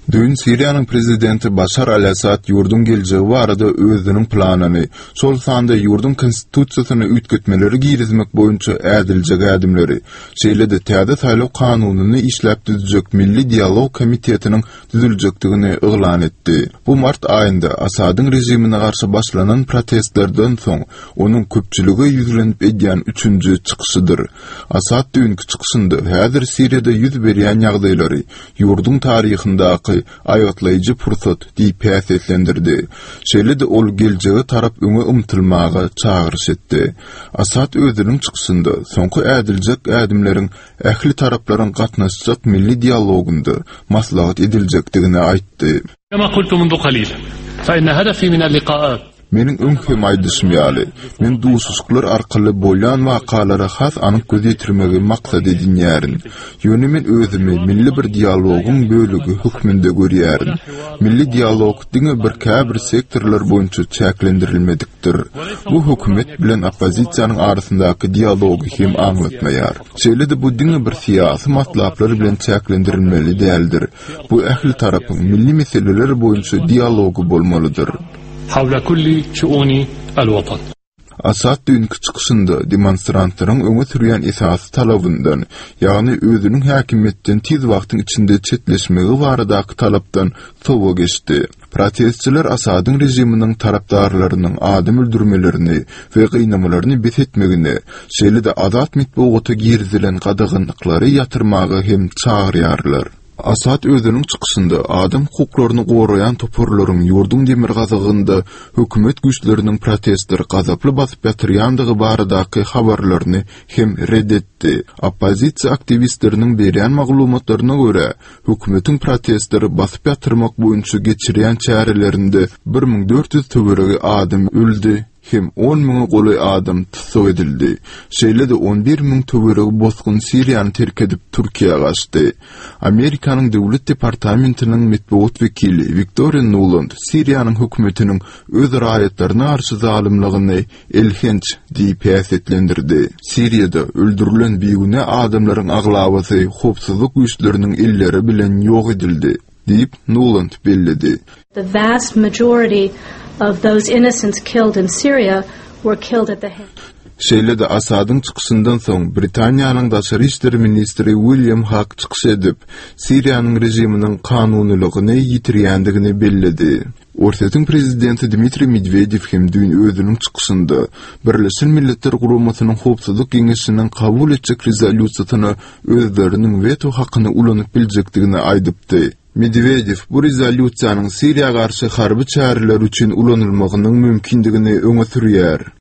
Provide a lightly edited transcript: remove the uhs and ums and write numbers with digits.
Düýn Siriýanyň prezidenti Başar al-Assad ýurduň geljegi barada özüniň planyny, şol sanda ýurduň konstitusiýasyna üýtgetmeleri girizmek boýunça ädiljek ädimleri, şeýle-de täze saýlaw kanunyny işläp düzjek Milli dialog komitetiniň düzüljekdigini yglan etdi. Bu mart aýynda Assadyň režimine garşy başlanan protestlerden soň onuň köpçülige ýüzlenip edýän üçünji çykyşydyr. Assad düýnki çykyşynda häzir Siriýada ýüz berýän ýagdaýlary ýurduň taryhyndaky aýgytlaýjy pursat diýip häsiýetlendirdi. Şeýle-de ol geljege tarap öňe ymtylmaga çagyryş etdi. Assad özüniň çykyşynda soňky ädiljek ädimleriň ähli taraplaryň gatnaşjak milli dialogynda maslahat ediljekdigini aýtdy. Kema kultu mundu kalil, fe inne hedefi minel likaat. Meniň öň hem aýdyşym ýaly, men duşuşyklar arkaly bolýan wakalara has anyk göz ýetirmegi maksat edinýärin. Ýöne men özümi milli bir dialogyň bölegi hökmünde görýärin. Milli dialog diňe bir käbir sektorlar boýunça çäklendirilmedikdir. Bu hökümet bilen oppozisiýanyň arasyndaky dialogy hem aňlatmaýar. Şeýle-de bu diňe bir syýasy matlaplar bilen çäklendirilmeli däldir. Bu ähli tarapyň milli meseleler boýunça dialogy bolmalydyr. Hawla kulli şuuni al-watan. Asad düýnki çykyşynda demonstrantlaryň öňe sürýän esasy talabyndan, ýagny özüniň häkimiýetden tiz wagtyň içinde çetleşmegi baradaky talapdan sowa geçdi. Protestçiler Asadyň režiminiň tarapdarlarynyň adam öldürmelerini we gynamalaryny bes etmegine, şeýle-de azat metbugata girizilen gadaganlyklary ýatyrmaga hem çagyrýarlar. Asad özüniň çykyşynda adam hukuklaryny goraýan toparlaryň ýurduň demirgazygynda hökümet güýçleriniň protestleri gazaply basyp ýatyrýandygy baradaky habarlaryny hem ret etdi. Oppozisiýa aktiwistleriniň berýän maglumatlaryna görä, hökümetiň protestleri basyp ýatyrmak boýunça geçirýän çärelerinde 1400 töweregi adam öldi. hem on müňe golaý adam tussag edildi. Şeýle-de 11 mün töweregi bosgun Siriýany terk edip, Türkiýä gaçdy. Amerikanyň Döwlet departamentiniň metbugat wekili Wiktoriýa Nuland Siriýanyň hökümetiniň öz raýatlaryna garşy zalymlygyny elhenç diýip häsiýetlendirdi. Siriýada öldürilen bigünä adamlaryň aglabasy howpsuzlyk güýçleriniň elleri bilen ýok edildi. Diýip, Nuland belledi. The vast majority of those innocents killed in Syria were killed at the hands. Şeýle-de Asadyň çykyşyndan soň Britaniýanyň daşary işler ministri William Hag çykyş edip, Siriýanyň režiminiň kanunylygyny ýitirýändigini belledi. Orsýetiň prezidenti Dmitriý Medwedew hem düýn özüniň çykyşynda Birleşen Milletler Guramasynyň Howpsuzlyk Geňeşiniň kabul etjek rezolýusiýasyna özleriniň weto hakyny ulanyp biljekdigini aýdypdy. Medwedew bu rezolýusiýanyň Siriýa garşy harby çäreler üçin ulanylmagynyň mümkindigini öňe sürýär.